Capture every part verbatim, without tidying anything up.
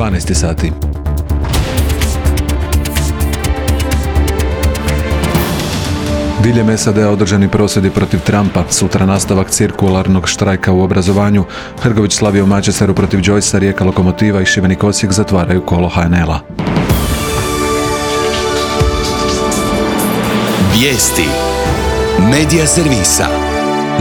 dvanaest sati. Diljem S A D-a održani prosvjedi protiv Trumpa, sutra nastavak cirkularnog štrajka u obrazovanju, Hrgović slavio u Manchesteru protiv Joycea, Rijeka Lokomotiva i Šibenik Osijek zatvaraju kolo H N L-a. Vijesti Medija servisa.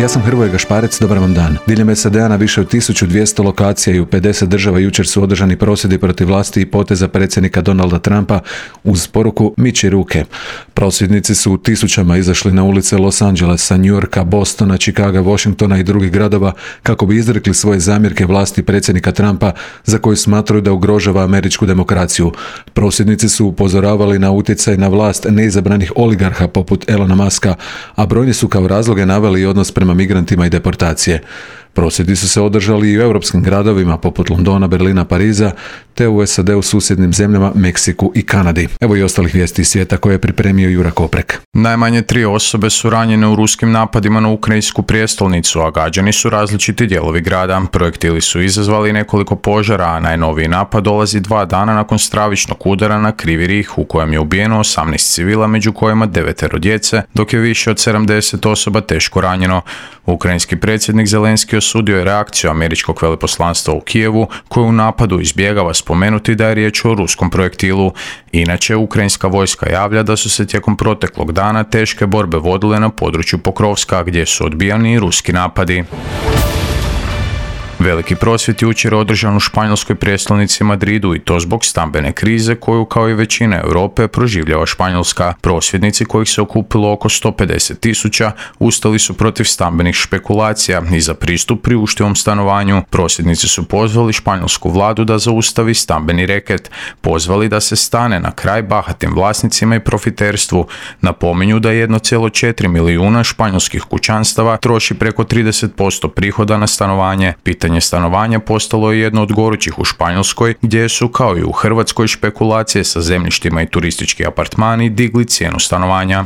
Ja sam Hrvoje Gašparec, dobar vam dan. Diljem S A D-a na više od tisuću dvjesto lokacija i u pedeset država jučer su održani prosvjedi protiv vlasti i poteza predsjednika Donalda Trumpa uz poruku miči ruke. Prosvjednici su u tisućama izašli na ulice Los Angelesa, New Yorka, Bostona, Chicaga, Washingtona i drugih gradova kako bi izrekli svoje zamjerke vlasti predsjednika Trumpa za koju smatraju da ugrožava američku demokraciju. Prosvjednici su upozoravali na utjecaj na vlast neizabranih oligarha poput Elona Muska, a brojni su kao razloge naveli odnos prema migrantima i deportacije. Prosvjedi su se održali i u europskim gradovima poput Londona, Berlina, Pariza, te u S A D-u susjednim zemljama, Meksiku i Kanadi. Evo i ostalih vijesti iz svijeta koje je pripremio Jura Koprek. Najmanje tri osobe su ranjene u ruskim napadima na ukrajinsku prijestolnicu, a gađani su različiti dijelovi grada. Projektili su izazvali nekoliko požara, a najnoviji napad dolazi dva dana nakon stravičnog udara na Krivi Rih, u kojem je ubijeno osamnaest civila, među kojima devetero djece, dok je više od sedamdeset osoba teško ranjeno. Ukrajinski predsjednik Zelenski osudio je reakciju američkog veleposlanstva u Kijevu, koju u napadu izbjegava spomenuti da je riječ o ruskom projektilu. Inače, ukrajinska vojska javlja da su se tijekom proteklog dana teške borbe vodile na području Pokrovska, gdje su odbijani ruski napadi. Veliki prosvjed jučer održan u španjolskoj prijestolnici Madridu i to zbog stambene krize koju kao i većina Europe proživljava Španjolska. Prosvjednici kojih se okupilo oko sto pedeset tisuća ustali su protiv stambenih špekulacija i za pristup priuštivom stanovanju. Prosvjednici su pozvali španjolsku vladu da zaustavi stambeni reket, pozvali da se stane na kraj bahatim vlasnicima i profiterstvu. Napominju da jedan zarez četiri milijuna španjolskih kućanstava troši preko trideset posto prihoda na stanovanje. Pitanje stanovanja postalo je jedno od gorućih u Španjolskoj, gdje su, kao i u Hrvatskoj, špekulacije sa zemljištima i turistički apartmani digli cijenu stanovanja.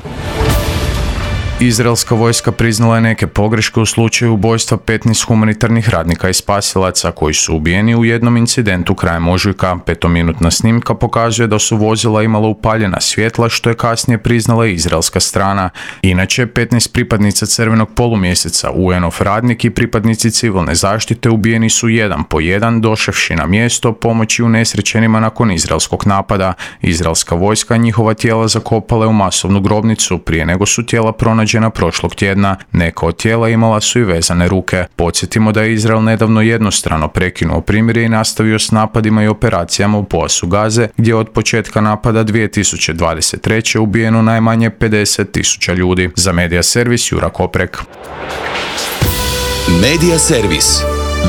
Izraelska vojska priznala je neke pogreške u slučaju ubojstva petnaest humanitarnih radnika i spasilaca koji su ubijeni u jednom incidentu krajem ožujka. Petominutna snimka pokazuje da su vozila imala upaljena svjetla, što je kasnije priznala izraelska strana. Inače, petnaest pripadnica crvenog polumjeseca, U N-ov radnik i pripadnici civilne zaštite ubijeni su jedan po jedan, došavši na mjesto pomoći unesrećenima nakon izraelskog napada. Izraelska vojska njihova tijela zakopala je u masovnu grobnicu prije nego su tijela pronađena prošlog tjedna. Neka od tijela imala su i vezane ruke. Podsjetimo da je Izrael nedavno jednostrano prekinuo primirje i nastavio s napadima i operacijama u pojasu Gaze, gdje je od početka napada dvije tisuće dvadeset treće ubijeno najmanje pedeset tisuća ljudi. Za Medija servis Jura Koprek. Medija servis.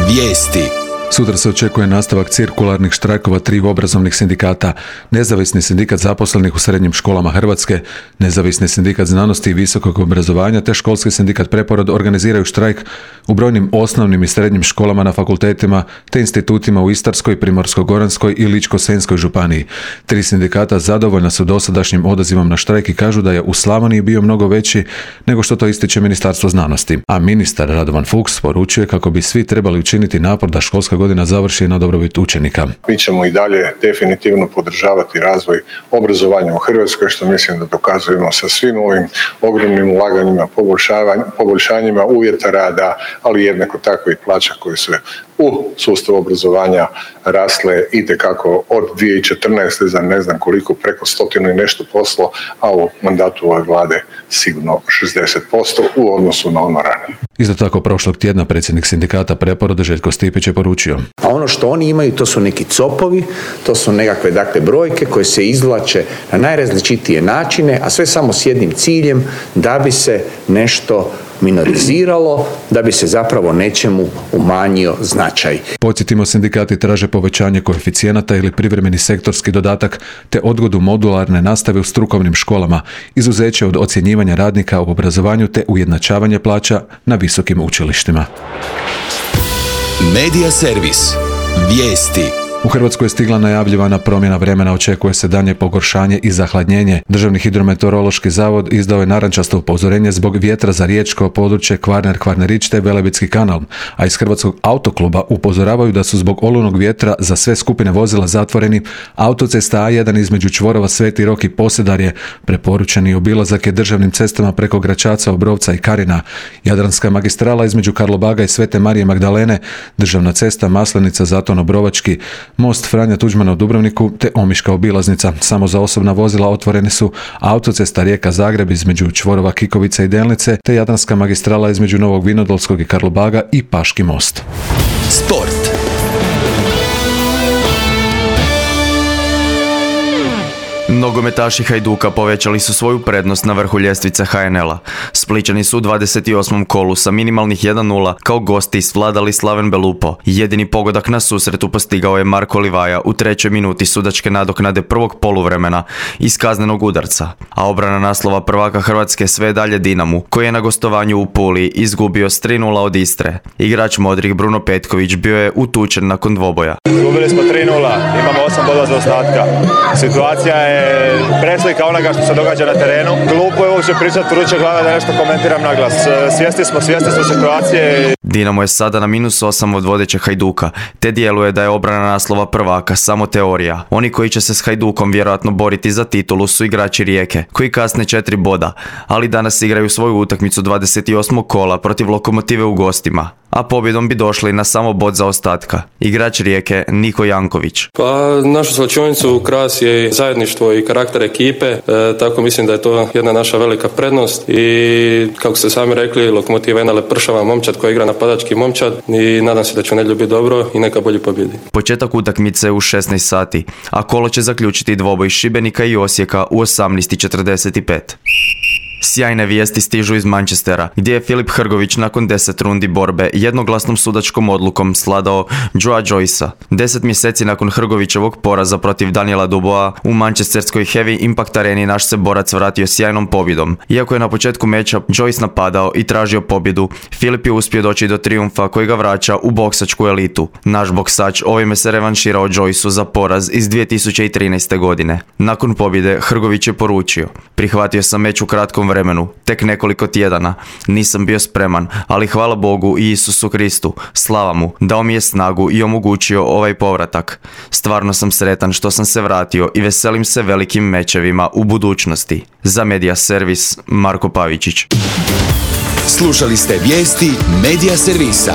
Vijesti. Sutra se očekuje nastavak cirkularnih štrajkova triju obrazovnih sindikata, Nezavisni sindikat zaposlenih u srednjim školama Hrvatske, Nezavisni sindikat znanosti i visokog obrazovanja te Školski sindikat Preporod organiziraju štrajk u brojnim osnovnim i srednjim školama na fakultetima te institutima u Istarskoj, Primorsko-goranskoj i Ličko-senjskoj županiji. Tri sindikata zadovoljna su dosadašnjim odazivom na štrajk i kažu da je u Slavoniji bio mnogo veći nego što to ističe Ministarstvo znanosti. A ministar Radovan Fuchs poručuje kako bi svi trebali učiniti napor da školska godina završi na dobrobit učenika. Mi ćemo i dalje definitivno podržavati razvoj obrazovanja u Hrvatskoj, što mislim da dokazujemo sa svim ovim ogromnim ulaganjima, poboljšanjima uvjeta rada, ali jednako tako i plaća koje su u sustavu obrazovanja rasle itekako od dvije tisuće četrnaeste za ne znam koliko, preko stotinu i nešto posto, a u mandatu ove vlade sigurno šezdeset posto u odnosu na ono ranije. Isto tako prošlog tjedna predsjednik sindikata Preporoda Željko Stipić je poručio. A ono što oni imaju to su neki copovi, to su nekakve dakle brojke koje se izvlače na najrazličitije načine, a sve samo s jednim ciljem da bi se nešto minoriziralo, da bi se zapravo nečemu umanjio značaj. Podsjetimo, sindikati traže povećanje koeficijenata ili privremeni sektorski dodatak te odgodu modularne nastave u strukovnim školama, izuzeće od ocjenjivanja radnika u obrazovanju te ujednačavanje plaća na visokim učilištima. Medija servis. Vijesti. U Hrvatsku je stigla najavljivana promjena vremena, očekuje se daljnje pogoršanje i zahladnjenje. Državni hidrometeorološki zavod izdao je narančasto upozorenje zbog vjetra za riječko područje Kvarner, Kvarnerić te Velebitski kanal, a iz Hrvatskog autokluba upozoravaju da su zbog olujnog vjetra za sve skupine vozila zatvoreni autocesta A jedan između čvorova Sveti Rok i Posedarje, preporučeni obilazak je državnim cestama preko Gračaca, Obrovca i Karina, Jadranska magistrala između Karlobaga i Svete Marije Magdalene, državna cesta Maslenica, Zaton, Obrovački, most Franja Tuđmana u Dubrovniku te Omiška obilaznica. Samo za osobna vozila otvorene su autocesta Rijeka-Zagreb između čvorova Kikovice i Delnice te Jadranska magistrala između Novog Vinodolskog i Karlobaga i Paški most. Sport. Nogometaši Hajduka povećali su svoju prednost na vrhu ljestvice ha en el a. Splićani su u dvadeset osmom kolu sa minimalnih jedan nula kao gosti svladali Slaven Belupo. Jedini pogodak na susretu postigao je Marko Livaja u trećoj minuti sudačke nadoknade prvog poluvremena iz kaznenog udarca. A obrana naslova prvaka Hrvatske sve dalje Dinamu, koji je na gostovanju u Puli izgubio s tri nula od Istre. Igrač modrih Bruno Petković bio je utučen nakon dvoboja. Izgubili smo tri nula, imamo osam bodova za ostatka. Situacija je preslika onoga što se događa na terenu. Glupo je uopće pričati vruće glave da nešto komentiram na glas. Svjesni smo, svjesni smo situacije. Dinamo je sada na minus osam od vodećeg Hajduka, te djeluje da je obrana naslova prvaka samo teorija. Oni koji će se s Hajdukom vjerojatno boriti za titulu su igrači Rijeke, koji kasne četiri boda, ali danas igraju svoju utakmicu dvadeset osmog kola protiv Lokomotive u gostima, a pobjedom bi došli na samo bod za ostatka. Igrač Rijeke Niko Janković. Pa našu slačionicu krasi je zajedništvo i karakter ekipe, e, tako mislim da je to jedna naša velika prednost i kako ste sami rekli, Lokomotiva je jedna lepršava momčad koja igra napadački momčad i nadam se da će u nedjelju biti dobro i neka bolje pobjedi. Početak utakmice u šesnaest sati, a kolo će zaključiti dvoboj Šibenika i Osijeka u osamnaest i četrdeset pet. Sjajne vijesti stižu iz Manchestera, gdje je Filip Hrgović nakon deset rundi borbe jednoglasnom sudačkom odlukom sladao Joea Joycea. Deset mjeseci nakon Hrgovićevog poraza protiv Daniela Duboisa u manchesterskoj Heavy Impact areni naš se borac vratio sjajnom pobjedom. Iako je na početku meča Joyce napadao i tražio pobjedu, Filip je uspio doći do trijumfa koji ga vraća u boksačku elitu. Naš boksač ovime se revanširao Joyceu za poraz iz dvije tisuće trinaeste. godine. Nakon pobjede Hrgović je poručio: prihvatio sam meč u kratkom vremenu, tek nekoliko tjedana. Nisam bio spreman, ali hvala Bogu i Isusu Kristu, slava mu, dao mi je snagu i omogućio ovaj povratak. Stvarno sam sretan što sam se vratio i veselim se velikim mečevima u budućnosti. Za Medija Servis, Marko Pavičić. Slušali ste vijesti Medija Servisa.